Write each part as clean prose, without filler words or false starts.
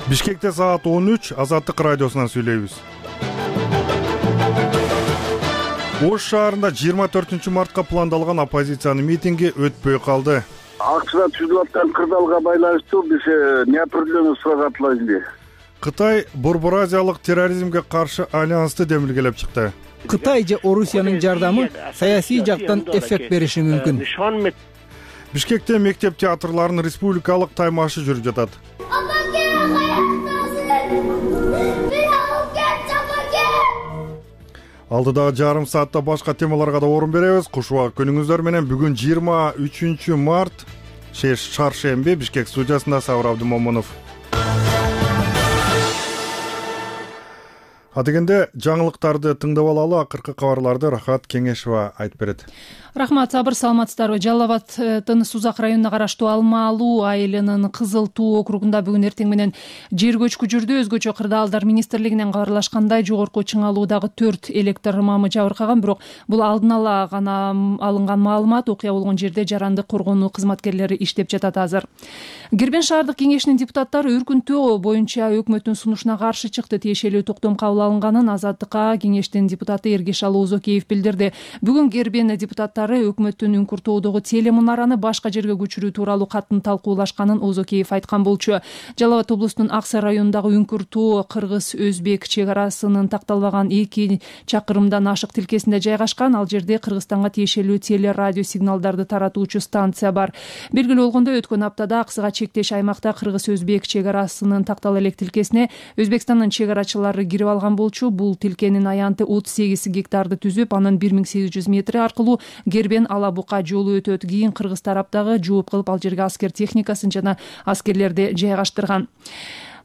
Бишкекте саат 13 Азаттык радиосунан сүйлөйбүз. Ош шаарында 24 мартка пландалган оппозициянын митинги өтпөй калды. Акчада түзүлүп аткан кырдаалга байланыштуу биз неопределенный сурагатылайбыз. Кытай Борбор-Азиялык терроризмге каршы альянсты демилгелеп чыкты. Кытай же Орусиянын жардамы саясий жактан эффект бериши мүмкүн. Бишкекте мектеп театрларынын республикалык таймашы жүрүп жатат. Алдыдагы жарым саатта башка темаларга да орун беребиз. Куш убак күнүңүздөр менен. Бүгүн 23 март, чаршемби. Бишкек студиясында Сабыр Абдымомунов. Адегенде жаңылыктарды тыңдап алалы. Акыркы кабарларды Рахат Кеңешова айтып берет. Рахмат, Сабыр, саламатсыздарбы? Жалал Абадтын Сузак районуна караштуу Алмалуу айылынын Кызыл Туу округунда бүгүн эртең менен жер көчкү жүрдү. Өзгөчө Кырдаалдар министрлигинен кабарлашкандай, жогорку Чыңалуудагы 4 электр мамы жабыркаган, бирок бул алдын ала гана алынган маалымат. Окуя болгон жерде жарандык коргонуу кызматкерлери иштеп жатат азыр. Гербен шаардык кеңешинин депутаттары үркүнтөө боюнча өкмөттүн сунушуна каршы чыкты. Тиешелүү токтом кабыл алынганын Азаттыкка кеңештин депутаты Эргешал Озокеев билдирди. Бүгүн Гербен депутаттары өкмөттүн Үңкүртөөдөгү телемунараны башка жерге көчүрүү тууралуу катын талкуулашканын Озокеев айткан болчу. Жалал Абад облусунун Аксай районундагы Үңкүртөө кыргыз-өзбек чек арасынын такталбаган 2 чакырымдан ашык тилкесинде жайгашкан. Ал жерде Кыргызстанга тиешелүү теле радио сигналдарды таратуучу станция бар. Белгилүү болгондой, өткөн аптада Аксыга чектеш аймакта кыргыз-өзбек чек арасынын тактала элек тилкесине Өзбекстандын чек арачылары кирип алган болчу. Бул тилкенин аянты 38 гектарды түзүп, анын 1800 метри аркылуу Гербен Алабука жолу өтөт. Кийин кыргыз тараптагы жооп кылып ал жерге аскер техникасын жана аскерлерди жайгаштырган.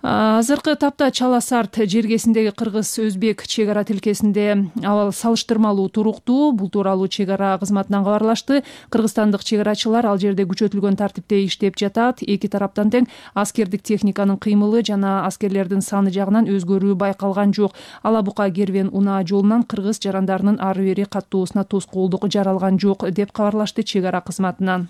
Азыркы тапта Чала Сарт жергесиндеги кыргыз-өзбек чек ара тилкесинде абал салыштырмалуу туруктуу. Бул тууралуу чек ара кызматынан кабарлашты. Кыргызстандык чек арачылар ал жерде күчөтүлгөн тартипте иштеп жатат. Эки тараптан тең аскердик техниканын кыймылы жана аскерлердин саны жагынан өзгөрүү байкалган жок. Алабука Гербен Унаа жолунан кыргыз жарандарынын ары бери каттоосуна тоскоолдук жаралган жок деп кабарлашты чек ара кызматынан.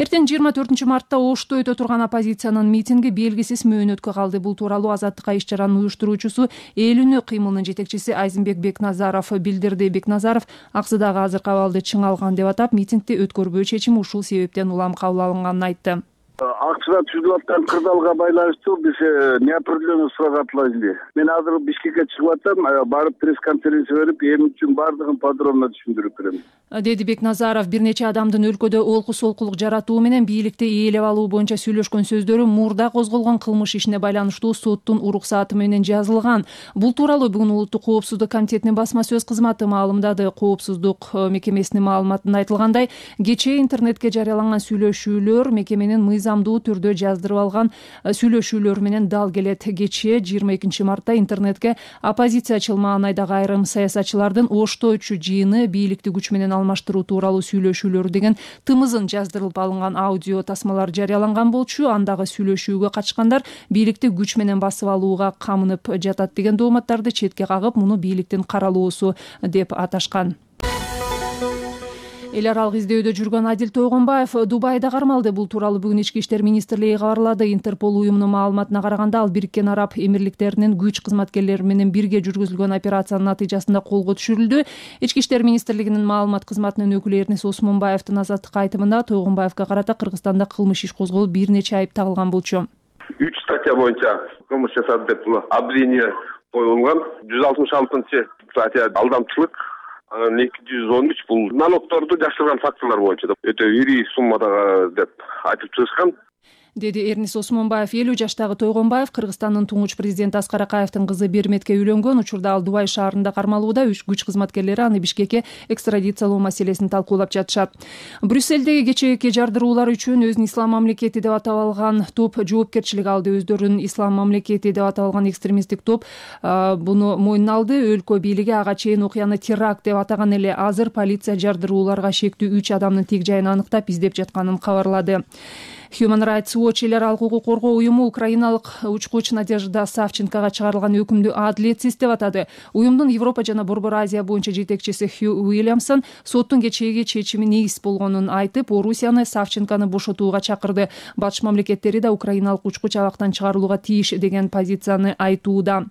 Эртең 24 мартта Ошто өтө турган оппозициянын митинги белгисиз мөөнөткө калды. Бул тууралуу Азаттыкка иш чаранын уюштуруучусу Эл үнү кыймылынын жетекчиси Айзенбек Бекназаров билдирди. Бекназаров Аксыдагы азыркы абалды чың алган деп атап, митингди өткөрбөө чечим ушул себептен улам кабыл алынганын айтты. Акчада түзүлүп аткан кырдаалга байланыштуу биз неопределенный сурагатылайбыз. Мен азыр Бишкекке чыгып атам, барып пресс-конференция берип, эми үчүн бардыгын подробно түшүндүрүп берем, деди Бекназаров. Бир нече адамдын өлкөдө олку-солкулук жаратуу менен бийликти ээлеп алуу боюнча сүйлөшкөн сөздөрү мурда козголгон кылмыш ишине байланыштуу соттун уруксааты менен жазылган. Бул тууралуу бүгүн Улуттук коопсуздук комитетинин басма сөз кызматы маалымдады. Коопсуздук мекемесинин маалыматында айтылгандай, кечээ интернетке жарыяланган сүйлөшүүлөр мекеменин мыйзамдуу түрдө жаздырып алган сүйлөшүүлөр менен дал келет. Кечээ 22 мартта интернетке оппозициячыл маанайдагы айрым саясатчылардын Ошточу жыйыны бийликти күч менен алмаштыруу тууралуу сүйлөшүүлөр деген тымызын жаздырылып алынган аудио тасмалар жарыяланган болчу. Андагы сүйлөшүүгө катышкандар бийликти күч менен басып алууга камынып жатат деген дооматтарды четке кагып, муну бийликтин каралоосу деп аташкан. Эл аралык издөөдө жүргөн Адил Тойгонбаев Дубайда кармалды. Бул тууралуу бүгүн Ички иштер министрлиги кабарлады. Интерпол уюмунун маалыматына караганда, ал Бириккен Араб Эмирликтеринин күч кызматкерлери менен бирге жүргүзүлгөн операциянын натыйжасында колго түшүрүлдү. Ички иштер министрлигинин маалымат кызматынын өкүлү Эрнис Осмонбаевдин Азаттыкка айтымында Тойгонбаевге карата Кыргызстанда кылмыш иш козголуп, бир нече айып тагылган болчу. 3 статья боюнча кылмыш жасады деп обвинение коюлган. 166 статья алдамчылык, 213 бул налогторду жашырган фактылар боюнча өтө ири суммадагы деп айтып чыгышкан, деди Эрнис Осмонбаев. 50 жаштагы Тойгонбаев Кыргызстандын туңуч президенти Аскар Акаевдин кызы Берметке үйлөнгөн. Учурда ал Дубай шаарында кармалууда. Күч кызматкерлери аны Бишкекке экстрадициялоо маселесин талкуулап жатышат. Брюссельдеги кечээки жардыруулар үчүн өзүн Ислам мамлекети деп атап алган топ жоопкерчилик алды. Өздөрүн Ислам мамлекети деп атап алган экстремисттик топ буну мойнуна алды. Өлкө бийлиги ага чейин окуяны теракт деп атаган эле. Азыр полиция жардырууларга шектүү 3 адамдын тик жайын аныктап издеп жатканын кабарлады. Human Rights Watch эл аралык укук коргоо уюму украиналык учкуч Надежда Савченкага чыгарылган өкүмдү адилетсиз деп атады. Уюмдун Европа жана Борбор Азия боюнча жетекчиси Хью Уильямсон соттун кечээги чечими негиз болгонун айтып, Орусияны Савченканы бошотууга чакырды. Батыш мамлекеттери да украиналык учкуч абактан чыгарылууга тийиш деген позицияны айтууда.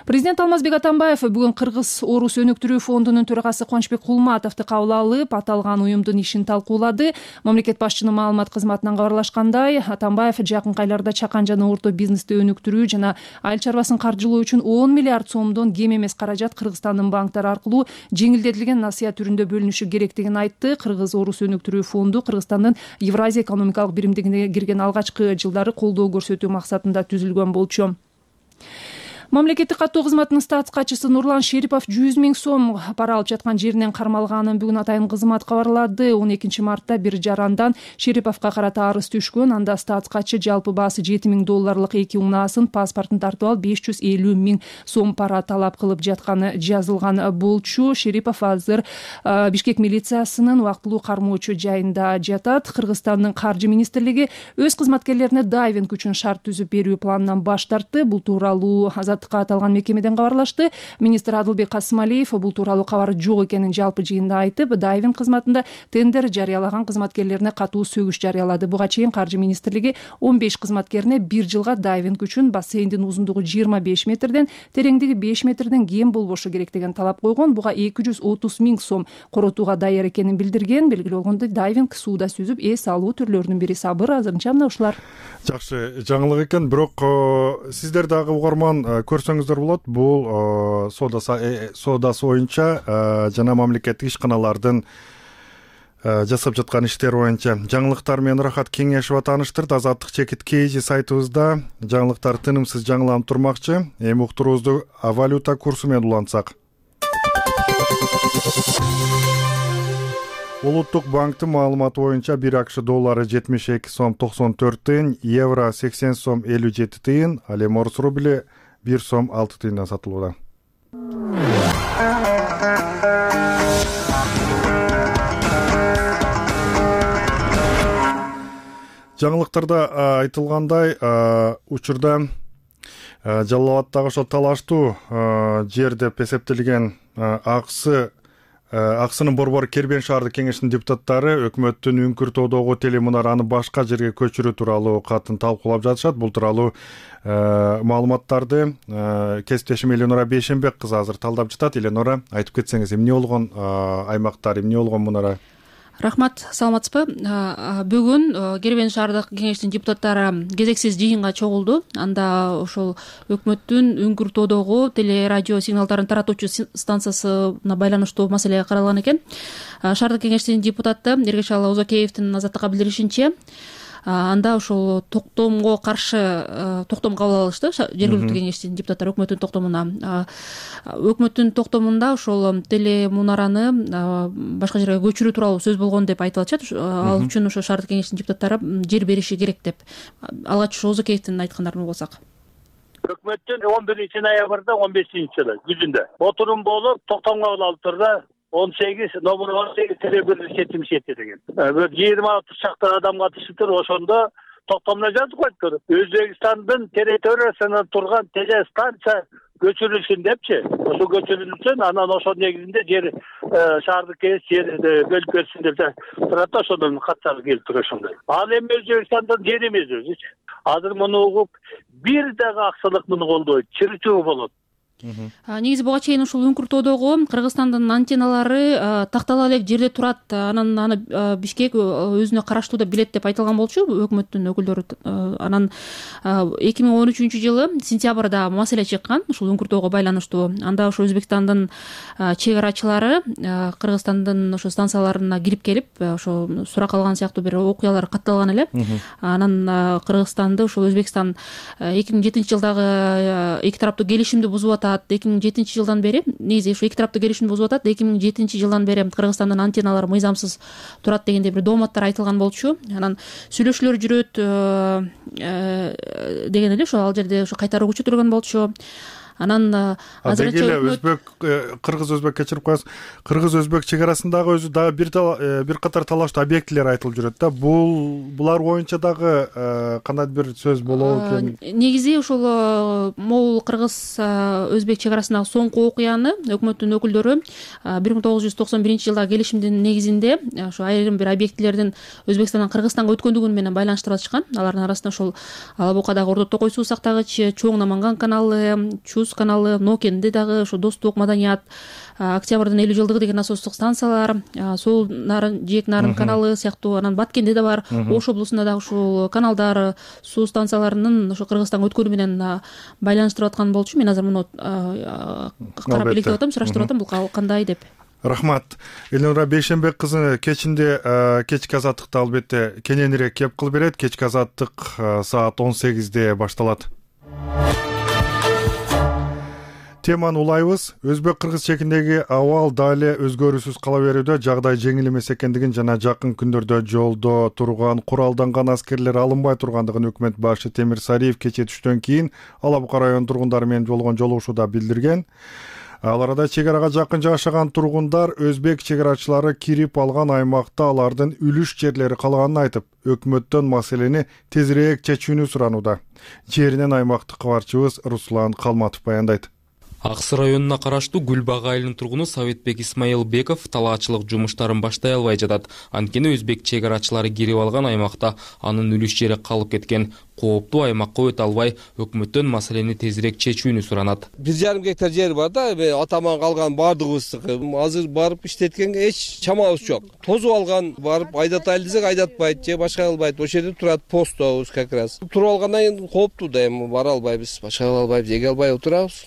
Президент Алмазбек Атамбаев бүгүн Кыргыз-Орус өнүктүрүү фондунун төрагасы Кубанычбек Кулматовду кабыл алып, аталган уюмдун ишин талкуулады. Мамлекет башчынын маалымат кызматынан кабарлашкандай, Атамбаев жакынкы айларда чакан жана орто бизнести өнүктүрүү жана айыл чарбасын каржылоо үчүн 10 миллиард сомдон кем эмес каражат Кыргызстандын банктары аркылуу жеңилдетилген насыя түрүндө бөлүнүшү керектигин айтты. Кыргыз-Орус өнүктүрүү фонду Кыргызстандын Евразия экономикалык биримдигине кирген алгачкы жылдары колдоо көрсөтүү максатында түзүлгөн болчу. Мамлекеттик каттоо кызматынын статс катчысы Нурлан Шерипов 100 000 сом пара алып жаткан жеринен кармалганын бүгүн атайын кызмат кабарлады. 12 мартта бир жарандан Шериповго карата арыз түшкөн. Анда статс катчы жалпы баасы $7,000 2 унаасын, паспортун тартып алып 550 000 сом пара талап кылып жатканы жазылган болчу. Шерипов азыр Бишкек милициясынын убактылуу кармоочу жайында жатат. Кыргызстандын каржы министрлиги өз кызматкерлерине дайвинг үчүн шарт түзүп берүү планынан баш тартты. Бул тууралуу аталган мекемеден кабарлашты. Министр Адылбек Касымалиев бул тууралуу кабар жок экенин жалпы жыйында айтып, дайвинг кызматында тендер жарыялаган кызматкерлерине катуу сөгүш жарыялады. Буга чейин каржы министрлиги 15 кызматкерине 1 жылга дайвинг үчүн бассейндин узундугу 25 метрден, тереңдиги 5 метрден кем болбошу керек деген талап койгон. Буга 230 000 сом коротууга даяр экенин билдирген. Белгилүү болгондой, дайвинг сууда сүзүп эс алуу түрлөрүнүн бири. Сабыр, азырынча мына ушулар. Жакшы жаңылык экен, бирок сиздер дагы угарман көрсөңүздөр болот. Бул соодасы боюнча жана мамлекеттик ишканалардын жасап жаткан иштери боюнча жаңылыктар менен Рахат Кеңешова тааныштырды. Азаттык чекит KG сайтыбызда жаңылыктар тынымсыз жаңыланып турмакчы. Эми уктуруубузду валюта курсу менен улантсак. Улуттук банктын маалыматы боюнча 1 АКШ доллары 72 сом 94 тыйын, евро 80 сом 57 тыйын, ал эми орус рубли 1 сом 6 тыйындан сатылууда. Жаңылыктарда айтылгандай, учурда Жалал ошо талаштуу жер деп эсептелген Аксынын Борбор Кербен шаардык кеңешинин депутаттары өкмөттүн Үңкүр-Тоодогу телемунараны башка жерге көчүрүү тууралуу катын талкуулап жатышат. Бул тууралуу маалыматтарды кесиптешим Эленора Бейшенбек кызы азыр талдап жатат. Эленора, айтып кетсеңиз, эмне болгон аймактар, эмне болгон мунара? Рахмат, саламатсызбы? Бүгүн Кербен шаардык кеңештин депутаттары кезексиз жыйынга чогулду. Анда ошол өкмөттүн Үңкүр-Тоодогу телерадио сигналдарын таратуучу станциясына байланыштуу маселе каралган экен. Шаардык кеңештин депутаты Эргечал Озокеевдин Азаттыкка билдиришинче, анда ошол токтомго каршы токтом кабыл алышты. Жергиликтүү кеңештин депутаттары өкмөттүн токтомуна. Өкмөттүн токтомунда ошол телемунараны башка жерге көчүрүү тууралуу сөз болгон деп айтып атышат. Ал үчүн ошо шаардык кеңештин депутаттары жер бериши керек деп. Алгач Озокеевдин айткандарын угсак. Өкмөттүн 11 ноябрда 15-жылы күзүндө отурум болуп токтомго кабыл алып турду. 18 телебир четимишети деген. 20-30 чакты адам катышыптыр. Ошондо токтомдо жазып коюптур. Өзбекстандын территориясында турган телестанция көчүрүлсүн депчи. Ошо көчүрүлсүн, анан ошол негизинде жер шаардык кеңеш жер бөлүп берсин деп турат. Ошондон катчар келип туруп ошондой. Ал эми Өзбекстандын жери эмес өзү. Азыр муну угуп бир дагы аксылык муну колдойт, чырчуу болот. Негизи буга чейин ушул Үңкүр-Тоодогу Кыргызстандын антенналары тактала элек жерде турат, анан аны Бишкек өзүнө караштуу деп билет деп айтылган болчу өкмөттүн өкүлдөрү. Анан 2013-жылы сентябрда маселе чыккан ушул Үңкүр-Тоого байланыштуу. Анда ошо Өзбекстандын чек арачылары Кыргызстандын ошо станцияларына кирип келип, ошо сурак алган сыяктуу бир окуялар катталган эле. Анан Кыргызстанды ошол Өзбекстан 2007-жылдагы эки тараптуу келишимди бузуп атат. 2007-жылдан бери, негизи ушу эки тараптуу келишимди бузуп атат. 2007-жылдан бери Кыргызстандын антенналары мыйзамсыз турат дегенде бир дооматтар айтылган болчу. Анан сүйлөшүүлөр жүрөт деген эле ошо ал жерде ошо кайта көчүрүлгөн болчу. Анан азырынча өзбек кыргыз өзбек кечирип коесуз, кыргыз өзбек чек арасындагы өзү дагы бир катар талаштуу объектилер айтылып жүрөт да. Булар боюнча дагы кандайдыр бир сөз болобу экен? Негизи ошол могул кыргыз өзбек чек арасындагы соңку окуяны өкмөттүн өкүлдөрү 1991 жылдагы келишимдин негизинде ошо айрым бир объектилердин Өзбекстандан Кыргызстанга өткөндүгү менен байланыштырып атышкан. Алардын арасында ошол Ала Букадагы Ордо Токой суу сактагыч, Чоң Наманган каналы, Чуз каналы, Нокенде дагы ошо Достук, Маданият, Октябрдын 50 жылдыгы деген насостук станциялар, Сул Нарын, Жээк Нарын каналы сыяктуу, анан Баткенде да бар, Ош облусунда дагы ушул каналдар, суу станцияларынын ошо Кыргызстанга өткөнү менен байланыштырып аткан болчу. Мен азыр муну карап электеп атам, сураштырып атам, бул кандай деп. Рахмат. Элнура Бейшенбек кызы кечинде кечки азаттыкты албетте кененирээк кеп кылып берет. Кечки азаттык саат 18-де башталат. Теманы улайбыз. Өзбек-кыргыз чегиндеги абал дали өзгөрүүсүз кала берүүдө, жагдай жеңил эмес экендигин жана жакын күндөрдө жолдо турган куралданган аскерлер алынбай тургандыгын өкмөт башы Темир Сариев кечээ түштөн кийин Ала Бука район тургундары менен болгон жолугушууда билдирген. Ал арада чек арага жакын жашаган тургундар өзбек чек арачылары кирип алган аймакта алардын үлүш жерлери калганын айтып, өкмөттөн маселени тезирээк чечүүнү суранууда. Жеринен аймактык кабарчыбыз Руслан Калматов баяндайт. Аксы районуна караштуу Гүлбак айылынын тургуну Советбек Исмаилбеков талаачылык жумуштарын баштай албай жатат. Анткени өзбек чек арачылары кирип алган аймакта анын үлүш жери калып кеткен. Кооптуу аймакка өтө албай, өкмөттөн маселени тезирээк чечүүнү суранат. 1,5 гектар жер бар да, атаман калган бардыгыбыздыкы. Азыр барып иштеткенге эч чамабыз жок. Тозуп алган, барып айдатайлы десек айдатпайт, же башка кылбайт. Ошол жерде турат постобуз как раз. Туруп алгандан кийин кооптуу да, эми бара албайбыз, башка кыла албайбыз, эге албай отурабыз.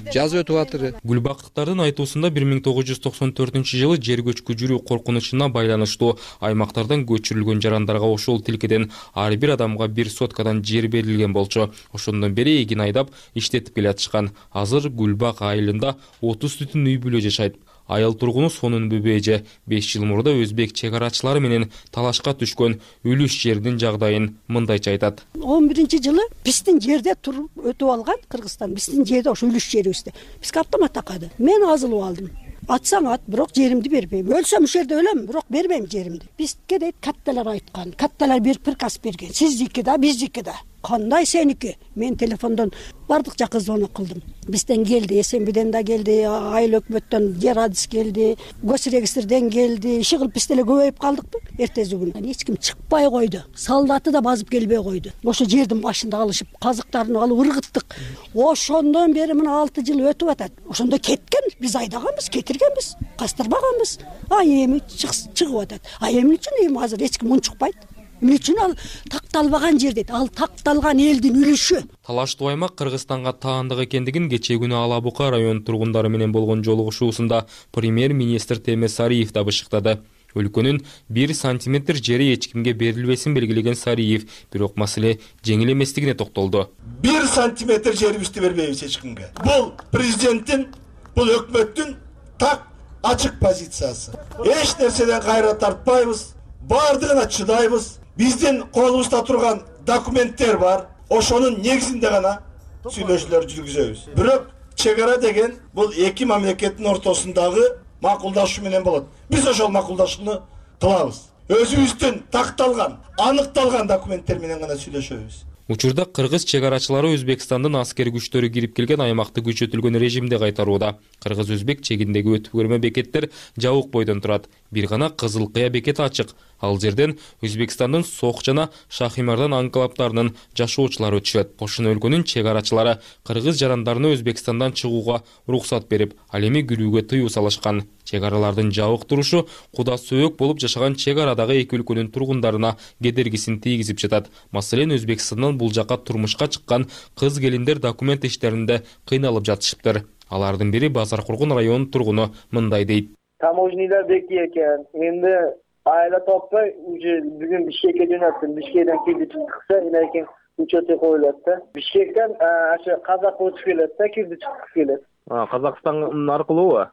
Жаз өтүп атыр. Гүлбактыктардын айтуусунда 1994 жылы жер көчкү жүрүү коркунучуна байланыштуу аймактардан көчүрүлгөн жарандарга ошол тилкеден ар бир адамга 1 соткадан жер берилген болчу. Ошондон бери эгин айдап иштетип келатышкан. Азыр Гүлбак айылында 30 түтүн үй бүлө жашайт. Айыл тургуну Сонун Бөбөйжө 5 жыл мурда өзбек чек арачылары менен талашка түшкөн үлүш жердин жагдайын мындайча айтат. 11-жылы биздин жерде туруп өтүп алган Кыргызстан, биздин жерде ошо үлүш жерибизде. Бизге автомат такады. Мен азылып алдым. Атсаң ат, бирок жеримди бербейм. Өлсөм ушул жерде өлөм, бирок бербейм жеримди. Бизге дейт катталар айткан. Катталар бир приказ берген. Сиздики да, биздики да. Кандай сеники? Мен телефондон бардык жакка звонок кылдым. Бизден келди, СМБден да келди, айыл өкмөттөн жер адис келди, госрегистрден келди. Иши кылып биз деле көбөйүп калдыкпы? Эртеси күнү эч ким чыкпай койду. Солдаты да базып келбей койду. Ошо жердин башында алышып, казыктарын алып ыргыттык. Ошондон бери мына 6 жыл өтүп атат. Ошондо кеткен, биз айдаганбыз, кетиргенбиз, кастырбаганбыз. Эми чыгып атат. Эмне үчүн эми азыр эч ким унчукпайт? Эмне үчүн ал такталбаган жер дейт? Ал такталган элдин үлүшү. Талаштуу аймак Кыргызстанга таандык экендигин кечээ күнү Ала Бука район тургундары менен болгон жолугушуусунда премьер-министр Темир Сариев да бышыктады. Өлкөнүн 1 сантиметр жери эч кимге берилбесин белгилеген Сариев, бирок маселе жеңил эместигине токтолду. 1 сантиметр жерибизди бербейбиз эч кимге. Бул президенттин, бул өкмөттүн так ачык позициясы. Эч нерседен кайра тартпайбыз, бардыгына чыдайбыз. Биздин колубузда турган документтер бар. Ошонун негизинде гана сүйлөшүүлөр жүргүзөбүз. Бирок чек ара деген бул эки мамлекеттин ортосундагы макулдашуу менен болот. Биз ошол макулдашууну кылабыз. Өзүбүздүн такталган, аныкталган документтер менен гана сүйлөшөбүз. Учурда кыргыз чек арачылары Өзбекстандын аскер күчтөрү кирип келген аймакты күчөтүлгөн режимде кайтарууда. Кыргыз-өзбек чегиндеги өтүп көрмө бекеттер жабык бойдон турат. Бир гана Кызыл Кыя бекети ачык. Ал жерден Өзбекстандын Сок жана Шахимардан анклавдарынын жашоочулары өтүшөт. Ошону өлкөнүн чек арачылары кыргыз жарандарына Өзбекстандан чыгууга уруксат берип, ал эми кирүүгө тыюу салышкан. Чек аралардын жабык турушу куда сөөк болуп жашаган чек арадагы эки өлкөнүн тургундарына кедергисин тийгизип жатат. Маселен, Өзбекстандан бул жака турмушка чыккан кыз келиндер документ иштеринде кыйналып жатышыптыр. Алардын бири Базар Кургун районунун тургуну мындай дейт. Таможнийлер бекий экен. Энди айла таппай, уже бүгүн Бишкекке жөнөттүм. Бишкектен кирди чыкса, энекин учеты коюлат да. Бишкектен ошо казак өтүп келет да, кирди чыккысы келет. Казакстан аркылуубу?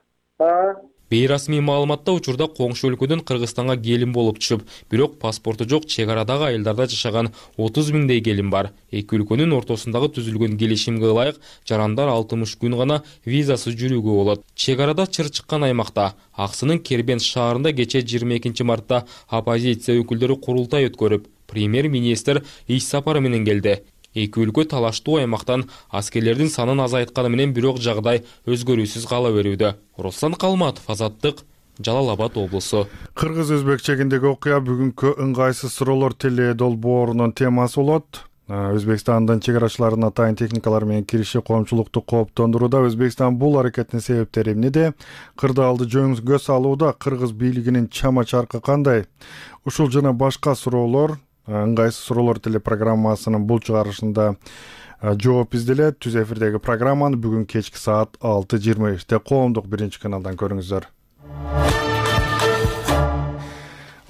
Бейрасмий маалыматта учурда коңшу өлкөдөн Кыргызстанга келин болуп түшүп, бирок паспорту жок чек арадагы айылдарда жашаган 30 миңдей келин бар. Эки өлкөнүн ортосундагы түзүлгөн келишимге ылайык жарандар 60 күн гана визасыз жүрүүгө болот. Чек арада чыр чыккан аймакта Аксынын Кербент шаарында кечээ 22 мартта оппозиция өкүлдөрү курултай өткөрүп, премьер-министр иш сапары менен келди. Эки өлкө талаштуу аймактан аскерлердин санын азайтканы менен бирок жагдай өзгөрүүсүз кала берүүдө. Руслан Калматов, Азаттык, Жалал Абад облусу. Кыргыз-өзбек чегиндеги окуя бүгүнкү ыңгайсыз суроолор теле долбоорунун темасы болот. Өзбекстандын чек арачыларына атайын техникалар менен кириши коомчулукту кооптондурууда. Өзбекстан бул аракеттин себептери эмнеде? Кырдаалды жөнгө салууда кыргыз бийлигинин чама чаркы кандай? Ушул жана башка суроолор ыңгайсыз суроолор телепрограммасынын бул чыгарышында жооп изделет. Түз эфирдеги программаны бүгүн кечки саат 6:25 коомдук биринчи каналдан көрүңүздөр.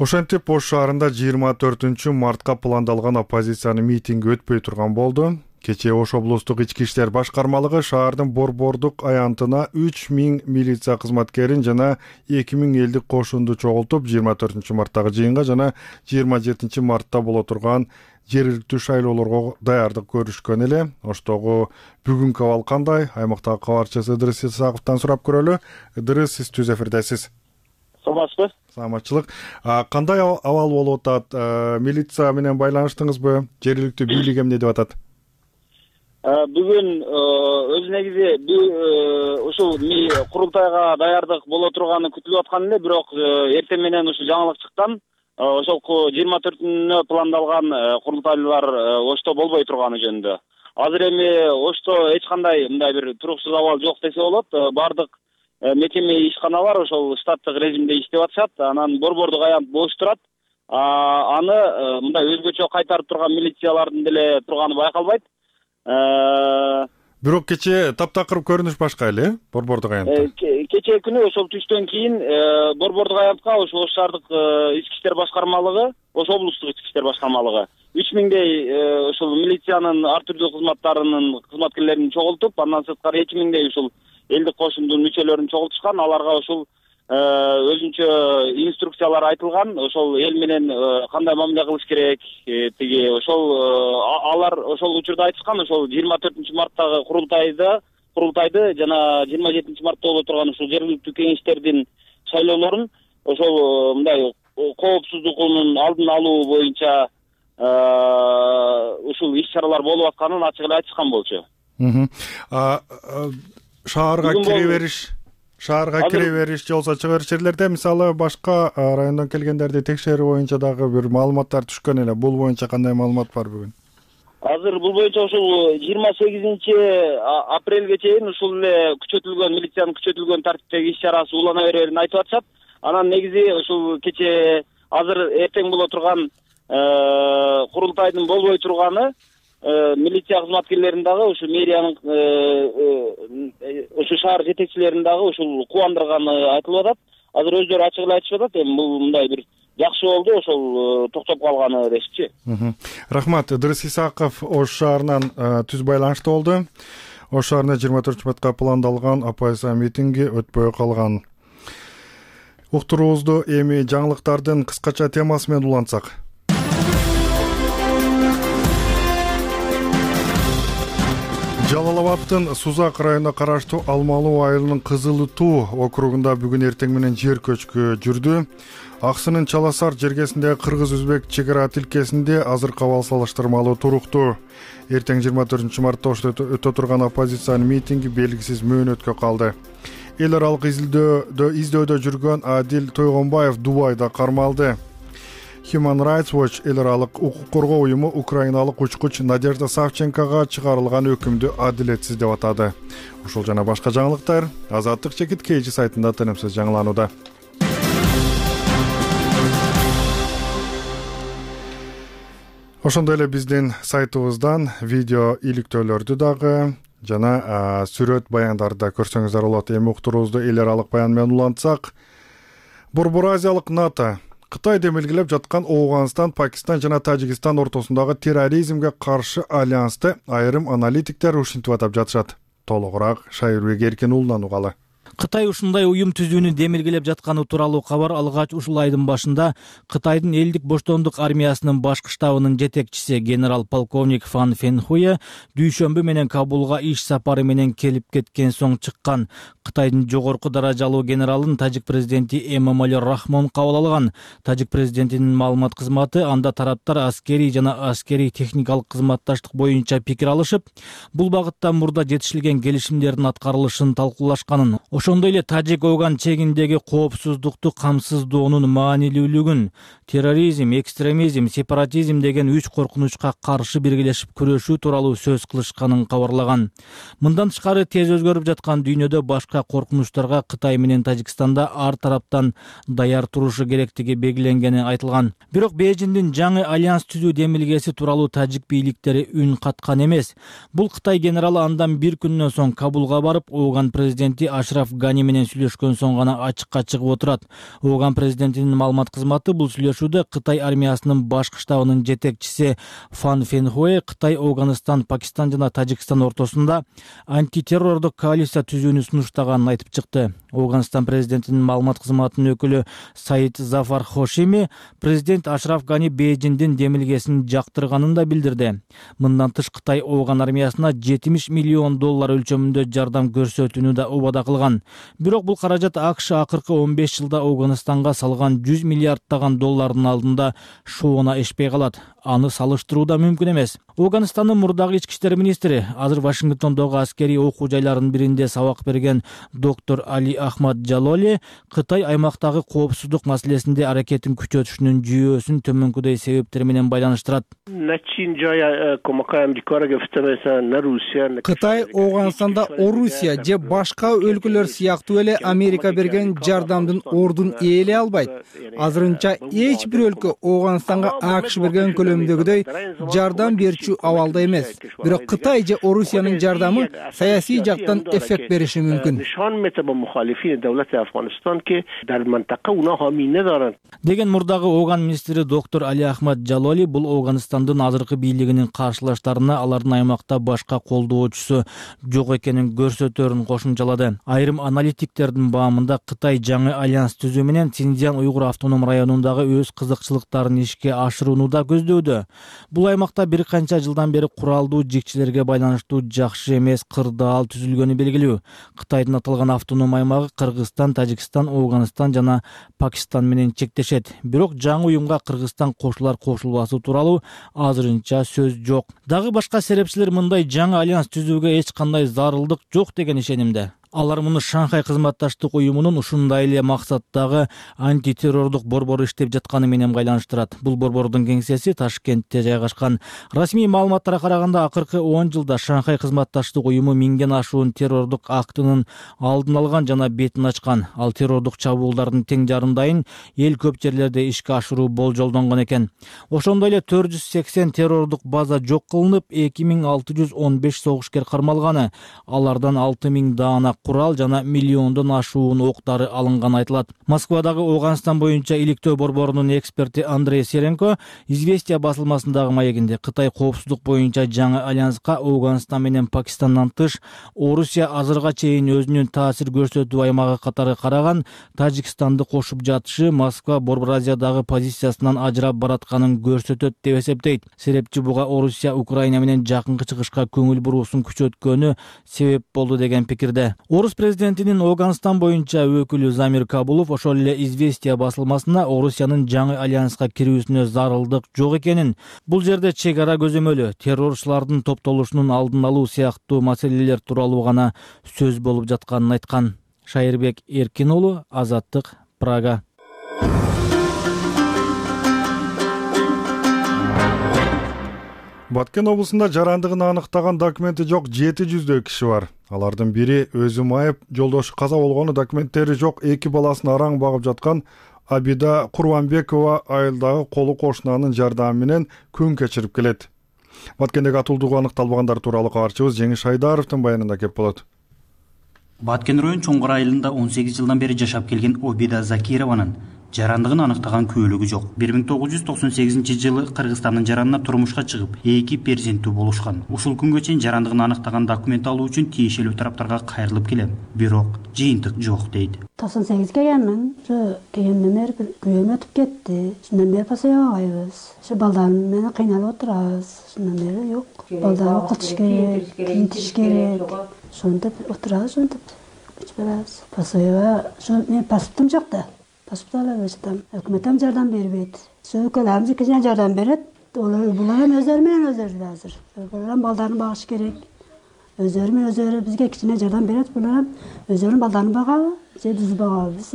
Ошентип Ош шаарында 24 мартка пландалган оппозициянын митинги өтпөй турган болду. Кечээ Ош облустук ички иштер башкармалыгы шаардын борбордук аянтына 3000 милиция кызматкерин жана 2000 элдик кошунду чогултуп 24 марттагы жыйынга жана 27 мартта боло турган жергиликтүү шайлоолорго даярдык көрүшкөн эле. Оштогу бүгүнкү абал кандай? Аймактагы кабарчысы Ыдырыс Исаковдон сурап көрөлү. Ыдырыс, сиз түз эфирдесиз. Саламатсызбы? Саламатчылык. Кандай абал болуп атат? Милиция менен байланыштыңызбы? Жергиликтүү бийлик эмне деп атат? Бүгүн өз негизи ушул курултайга даярдык боло турганы күтүлүп аткан эле, бирок эртең менен ушул жаңылык чыккан. Ошол 24-күнүнө пландалган курултайлар Ошто болбой турганы жөнүндө. Азыр эми Ошто эч кандай мындай бир туруксуз абал жок десе болот. Бардык мекеме ишканалар ошол штаттык режимде иштеп атышат. Анан борбордук аянт бош турат. Аны мындай өзгөчө кайтарып турган милициялардын деле турганы байкалбайт. Бирок кечээ таптакыр көрүнүш башка эле борбордук аянтта. Кечээ күнү ошол түштөн кийин борбордук аянтка ошо Ош шаардык ички иштер башкармалыгы, Ош облустук ички иштер башкармалыгы 3000дей ошол милициянын ар түрдүү кызматтарынын кызматкерлерин чогултуп, андан сырткары 2000дей ушул элдик кошундун мүчөлөрүн чогултушкан. Аларга ушул өзүнчө инструкциялар айтылган, ошол эл менен кандай мамиле кылыш керек, тиги ошол алар ошол учурда айтышкан. Ошол 24 марттагы курултайды жана 27 мартта боло турган ушул жергиликтүү кеңештердин шайлоолорун ошол мындай коопсуздугунун алдын алуу боюнча ушул иш-чаралар болуп атканын ачык эле айтышкан болчу. Шаарга кире бериш же болбосо чыгар жерлерде мисалы башка райондон келгендерди текшерүү боюнча дагы бир маалыматтар түшкөн эле. Бул боюнча кандай маалымат бар бүгүн? Азыр бул боюнча ушул 28 апрелге чейин ушул эле күчөтүлгөн милициянын күчөтүлгөн тартиптеги иш-чарасы улана берерин айтып атышат. Анан негизи ушул кечээ азыр эртең боло турган курултайдын болбой турганы милиция кызматкерлерин дагы ушу мэриянын ушу шаар жетекчилерин дагы ушул кубандырганы айтылып атат. Азыр өздөрү ачык эле айтышып атат. Эми бул мындай бир жакшы болду ошол токтоп калганы дешчи. Рахмат. Ыдырыс Исаков Ош шаарынан түз байланышта болду. Ош шаарында 24 мартка пландалган оппозиция митинги өтпөй калган. Уктуруубузду эми жаңылыктардын кыскача темасы менен улантсак. Жалал Абадтын Сузак районуна караштуу Алмалуу айылынын Кызыл Туу округунда бүгүн эртең менен жер көчкү жүрдү. Аксынын Чаласар жергесиндеги кыргыз-өзбек чек ара тилкесинде азыркы абал салыштырмалуу туруктуу. Эртең 24 мартта Ошто өтө турган оппозициянын митинги белгисиз мөөнөткө калды. Эл аралык издөөдө жүргөн Адил Тойгонбаев Дубайда кармалды. Human Rights Watch эл аралык укук коргоо уюму украиналык учкуч Надежда Савченкога чыгарылган өкүмдү адилетсиз деп атады. Ушул жана башка жаңылыктар Азаттык чекит KG сайтында тынымсыз жаңыланууда. Ошондой эле биздин сайтыбыздан видео иликтөөлөрдү дагы жана сүрөт баяндарды көрсөңүздөр болот. Эми уктуруубузду эл аралык баян менен улантсак, Борбор Азиялык НАТО Кытай демилгелеп жаткан Ооганстан, Пакистан жана Тажикстан ортосундагы терроризмге каршы альянсты айрым аналитиктер ушинтип атап жатышат. Толугураак Шайырбек Эркин уулунан угалы. Кытай ушундай уюм түзүүнү демилгелеп жатканы тууралуу кабар алгач ушул айдын башында Кытайдын элдик боштондук армиясынын башкы штабынын жетекчиси генерал-полковник Фан Фенхуе дүйшөмбү менен Кабулга иш сапары менен келип кеткен соң чыккан. Кытайдын жогорку даражалуу генералын тажик президенти Эмомали Рахмон кабыл алган. Тажик президентинин маалымат кызматы анда тараптар аскерий жана аскерий техникалык кызматташтык боюнча пикир алышып, бул багытта мурда жетишилген келишимдердин аткарылышын талкуулашканын, ошондой эле Тажик-Оган чегиндеги коопсуздукту камсыздоонун маанилүүлүгүн, терроризм, экстремизм, сепаратизм деген 3 коркунучка каршы биргелешип күрөшүү тууралуу сөз кылышканын кабарлаган. Мындан тышкары тез өзгөрүп жаткан дүйнөдө башка коркунучтарга Кытай менен Тажикстанда ар тараптан даяр турушу керектиги белгиленгени айтылган. Бирок Бейжиңдин жаңы альянс түзүү демилгеси тууралуу тажик бийликтери үн каткан эмес. Бул Кытай генералы андан бир күндөн соң Кабулга барып, Оган президенти Ашраф Гани менен сүйлөшкөн соң гана ачыкка чыгып отурат. Оган президентинин маалымат кызматы бул сүйлөшүүдө Кытай армиясынын башкы штабынын жетекчиси Фан Фенхуэ Кытай, Афганистан, Пакистан жана Тажикстан ортосунда антитеррордук коалиция түзүүнү сунуштаганын айтып чыкты. Афганистан президентинин маалымат кызматынын өкүлү Саид Зафар Хошими президент Ашраф Гани Бейжиңдин демилгесин жактырганын да билдирди. Мындан тыш Кытай Афган армиясына $70 миллион өлчөмүндө жардам көрсөтүүнү да убада кылган. Бирок бул каражат АКШ акыркы 15 жылда Афганистанга салган $100 миллиарддаган доллардын алдында шоуна эшпей калат. Аны салыштыруу да мүмкүн эмес. Афганистандын мурдагы ички иштер министри, азыр Вашингтондогу аскерий окуу жайларынын биринде сабак берген доктор Али Ахмад Жалоли Кытай аймактагы коопсуздук маселесинде аракетин күчөтүшүнүн жүйөсүн төмөнкүдөй себептер менен байланыштырат. Кытай Афганистанда Орусия же башка өлкөлөр сыяктуу эле Америка берген жардамдын ордун ээлей албайт. Азырынча эч бир өлкө Афганистанга АКШ берген көлөмдөгүдөй жардам берүүчү абалда эмес. Бирок Кытай же Орусиянын жардамы саясий жактан эффект бериши мүмкүн. Деген мурдагы Афган министри доктор Али Ахмад Жалоли бул Афганистандын азыркы бийлигинин каршылаштарына алардын аймакта башка колдоочусу жок экенин көрсөтөрүн кошумчалады. Айрым аналитиктердин баамында Кытай жаңы альянс түзүү менен Синьцзян уйгур автоном районундагы өз кызыкчылыктарын ишке ашырууну да көздөөдө. Бул аймакта бир канча жылдан бери куралдуу жикчилерге байланыштуу жакшы эмес кырдаал түзүлгөнү белгилүү. Кытайдын аталган автоном аймагы Кыргызстан, Тажикстан, Афганистан жана Пакистан менен чектешет. Бирок жаңы уюмга Кыргызстан кошулар кошулбасы тууралуу азырынча сөз жок. Дагы башка серепчилер мындай жаңы альянс түзүүгө эч кандай зарылдык жок деген ишенимде. Алар муну Шанхай кызматташтык уюмунун ушундай эле максаттагы антитеррордук борбору иштеп жатканы менен байланыштырат. Бул борбордун кеңсеси Ташкентте жайгашкан. Расмий маалыматтарга караганда акыркы 10 жылда Шанхай кызматташтык уюму 1000ден ашуун террордук актынын алдын алган жана бетин ачкан. Ал террордук чабуулдардын тең жарымдайын эл көп жерлерде ишке ашыруу болжолдонгон экен. Ошондой эле 480 террордук база жок кылынып, 2615 согушкер кармалганы. Алардан 6000 даана курал жана миллиондон ашуун октары алынганы айтылат. Москвадагы Афганистан боюнча иликтөө борборунун эксперти Андрей Серенко Известия басылмасындагы маегинде Кытай коопсуздук боюнча жаңы альянска Афганистан менен Пакистандан тыш Орусия азырга чейин өзүнүн таасир көрсөтүү аймагы катары караган Тажикстанды кошуп жатышы Москва Борбор Азиядагы позициясынан ажырап баратканын көрсөтөт деп эсептейт. Серепчи буга Орусия Украина менен жакынкы чыгышка көңүл буруусун күчөткөнү себеп болду деген пикирде. Орус президентинин Афганистан боюнча өкүлү Замир Кабулов ошол эле Известия басылмасына Орусиянын жаңы альянска кирүүсүнө зарылдык жок экенин, бул жерде чек ара көзөмөлү, террорчулардын топтолушунун алдын алуу сыяктуу маселелер тууралуу гана сөз болуп жатканын айткан. Шайырбек Эркин уулу, Азаттык, Прага. Баткен облусунда жарандыгын аныктаган документи жок 700 киши бар. Алардын бири өзү майып, жолдошу каза болгону, документтери жок 2 баласын араң багып жаткан Абида Курбанбекова айылдагы колу кошунанын жардамы менен күн кечирип келет. Баткендеги атуулдугу аныкталбагандар тууралуу кабарчыбыз Жеңиш Айдаровдун баянында кеп болот. Баткен район Чоңгор айылында 18 жылдан бери жашап келген Обида Закированын жарандыгын аныктаган күбөлүгү жок. 1998-жылы Кыргызстандын жаранына турмушка чыгып, 2 перзенттүү болушкан. Ушул күнгө чейин жарандыгын аныктаган документ алуу үчүн тиешелүү тараптарга кайрылып келем, бирок жыйынтык жок дейт. 98 келгенмин. Келгенден бери күбөм өтүп кетти. Шундан бери пасаябайбыз. Ошо балдарым менен кыйналып отурабыз. Шундан бери жок. Балдар окутуш керек, кийинтиш керек. Ошентип отурабыз, ошентип күчбөрөбүз. Пасаеба, мен паспортум жок да. Паспорт алып жатам. Өкмөттөн жардам бербейт. Өлкөлөрүбүз кичине жардам берет. Булар эми өздөрү менен өздөрү азыр. Булар балдарын багыш керек. Өздөрү менен өздөрү бизге кичине жардам берет. Булар өздөрүнүн балдарын багабы, же биз багабы. Биз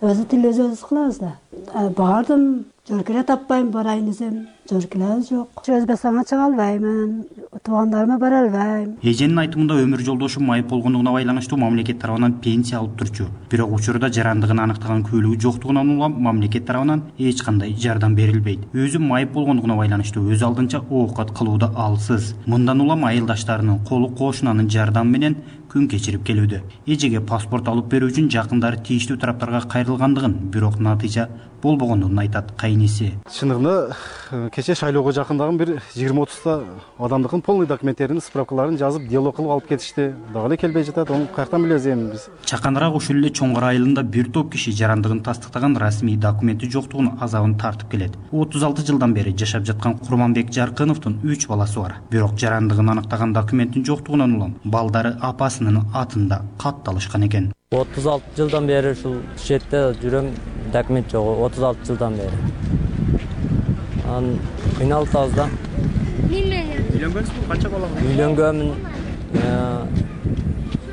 өзү тил өзүбүз кылабыз да. Бардым, жөркеле таппайм, барайын десем, жөркеле жок. Өзбекстанга чыга албаймын, туугандарыма бара албайм. Эженин айтымында өмүр жолдошу майып болгондугуна байланыштуу мамлекет тарабынан пенсия алып турчу. Бирок учурда жарандыгын аныктаган күбөлүгү жоктугунан улам мамлекет тарабынан эч кандай жардам берилбейт. Өзү майып болгондугуна байланыштуу өз алдынча оокат кылууда алсыз. Мындан улам айылдаштарынын колу кошунанын жардамы менен күн кечирип келүүдө. Эжеге паспорт алып берүү үчүн жакындары тийиштүү тараптарга кайрылгандыгын, бирок натыйжа болбогондугун айтат кайниси. Чындыгында кече шайлоого жакындагы бир 20-30 адамдыкын полный документтерин, справкаларын жазып, дело кылып алып кетишти. Дагы эле келбей жатат. Onu каяктан билебиз эми биз? Чаканыраак ушул эле Чоңгар айылында бир топ киши жарандыгын тастыктаган расмий документи жоктугунун азабын тартып келет. 36 жылдан бери жашап жаткан Курманбек Жаркыновдун 3 баласы бар. Бирок жарандыгын аныктаган документтин жоктугунан улам балдары апасынын атында катталышкан экен. 36 жылдан бери ушул четте жүрөм, документ жок. 36 жылдан бери. Кыйналып атабыз да. Үйлөнгөнсүзбү? Канча балаң бар? Үйлөнгөнмүн.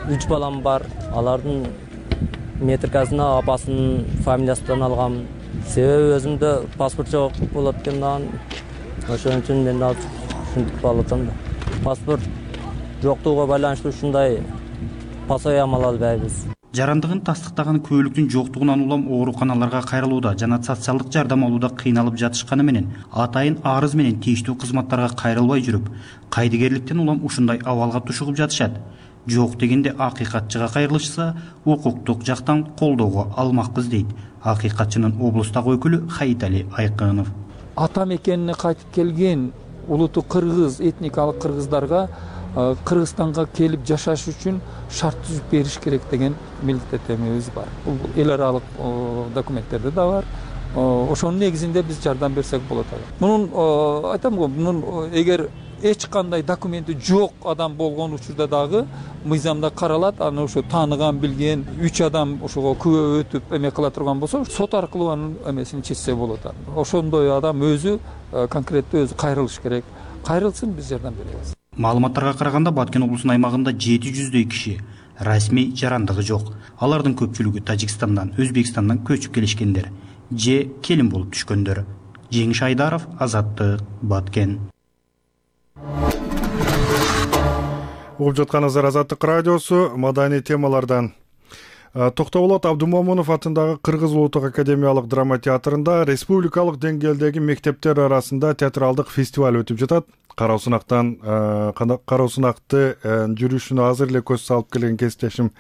3 балам бар. Алардын метрикасына апасынын фамилиясынан алгам. Себеби өзүмдө паспорт жок болот экенден, ошон үчүн мен ушинтип алып атам да. Паспорт жоктугуга байланыштуу ушундай пасаям ала албайбыз. Жарандыгын тастыктаган күбөлүктүн жоктугунан улам ооруканаларга кайрылууда жана социалдык жардам алууда кыйналып жатышканы менен атайын арыз менен тийиштүү кызматтарга кайрылбай жүрүп, кайдыгерликтен улам ушундай абалга тушугуп жатышат. Жок дегенде акыйкатчыга кайрылышса, укуктук жактан колдоого алмакпыз дейт акыйкатчынын облустагы өкүлү Хаитали Айкынов. Ата мекенине кайтып келген улуту кыргыз, этникалык кыргыздарга Кыргызстанга келип жашаш үчүн шарт түзүп бериш керек деген милдеттенмебиз бар. Бул эл аралык документтерде да бар. Ошонун негизинде биз жардам берсек болот. Мунун айтам го, мунун эгер эч кандай документи жок адам болгон учурда дагы мыйзамда каралат. Аны ошо тааныган, билген 3 адам ошого күбө өтүп эме кыла турган болсо, сот аркылуу анын эмесин чечсе болот. Ошондой адам өзү конкреттүү өзү кайрылыш керек. Кайрылсын, биз жардам беребиз. Маалыматтарга караганда Баткен облусунун аймагында 700дөй киши расмий жарандыгы жок. Алардын көпчүлүгү Тажикстандан, Өзбекстандан көчүп келишкендер же келин болуп түшкөндөр. Жеңиш Айдаров, Азаттык, Баткен. Угуп жатканыңыздар Азаттык радиосу, маданий темалардан. Токтогулот Абдумомунов атындагы Кыргыз улуттук академиялык драма театрында республикалык деңгээлдеги мектептер арасында театралдык фестиваль өтүп жатат. Кароо сынакты жүрүшүнө азыр эле көз салып келген кесиптешим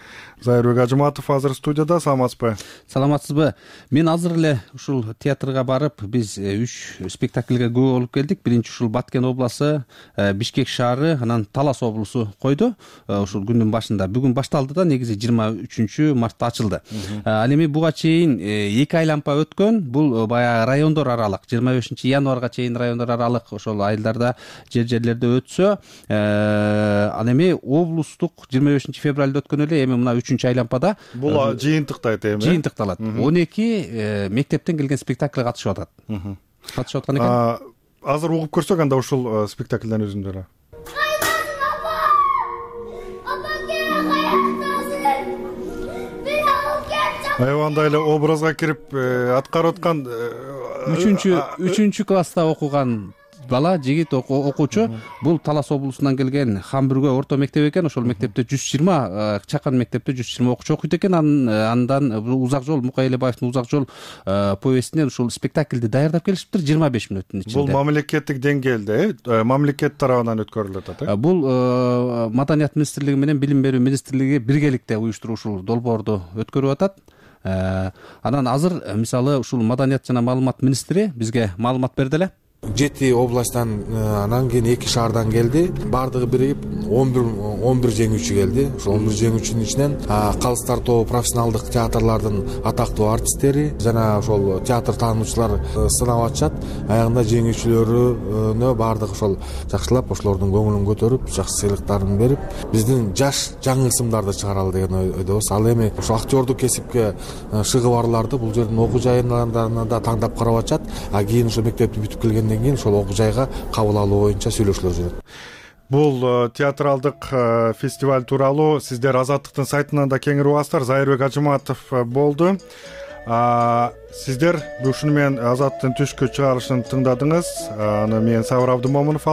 Зайырбек Ажыматов азыр студияда. Саламатсызбы? Саламатсызбы? Мен азыр эле ушул театрга барып, биз 3 спектакльге күбө болуп келдик. Биринчи ушул Баткен областы, Бишкек шаары, анан Талас облусу койду. Ушул күндүн башында бүгүн башталды да, негизи 23 мартта ачылды. Ал эми буга чейин 2 айланпа өткөн. Бул баягы райондор аралык 25 январга чейин райондор аралык ошол айылдарда жерлерде өтсө, ал эми облустук 25 февралда өткөн эле, эми мына 3 айланпада бул жыйынтыктайт эми. Жыйынтыкталат. 12 мектептен келген спектакль катышып атат. Катышып аткан экен. Азыр угуп көрсөк анда ушул спектакльден өзүндөрү. Андай эле образга кирип аткарып аткан 3 класста окуган бала, жигит окуучу. Бул Талас облусунан келген Хамбүргө орто мектеп экен. Ошол мектепте 120, чакан мектепте 120 окуучу окуйт экен. Андан Узак жол, Мукай Элебаевдин Узак жол повестинен ушул спектакльди даярдап келишиптир 25 мүнөттүн ичинде. Бул мамлекеттик деңгээлде, мамлекет тарабынан өткөрүлүп атат. Бул Маданият министрлиги менен Билим берүү министрлиги биргеликте уюштуруп ушул долбоорду өткөрүп атат. Анан азыр мисалы ушул Маданият жана маалымат министри бизге маалымат берди эле. 7 областтан анан кийин 2 шаардан келди. Бардыгы биригип 11 жеңүүчү келди. Ошол 11 жеңүүчүнүн ичинен калыстар тобу профессионалдык театрдардын атактуу артисттери жана ошол театр таануучулар сынап атышат. Аягында жеңүүчүлөрүнө бардыгы ошол жакшылап ошолордун көңүлүн көтөрүп, жакшы сыйлыктарын берип, биздин жаш жаңы ысымдарды чыгаралы деген ойдобуз. Ал эми ошо актёрдук кесипке шыгы барларды бул жердин окуу жайынан да тандап карап атышат. А кийин ошо мектепти бүтүп келген кийин ошол окуу жайга кабыл алуу боюнча сүйлөшүүлөр жүрөт. Бул театралдык фестиваль тууралуу сиздер Азаттыктын сайтынан да кеңири угасыздар. Зайырбек Ажыматов болду. Сиздер ушуну менен Азаттын түшкү чыгарылышын тыңдадыңыз. Аны мен Сабыр Абдымомунов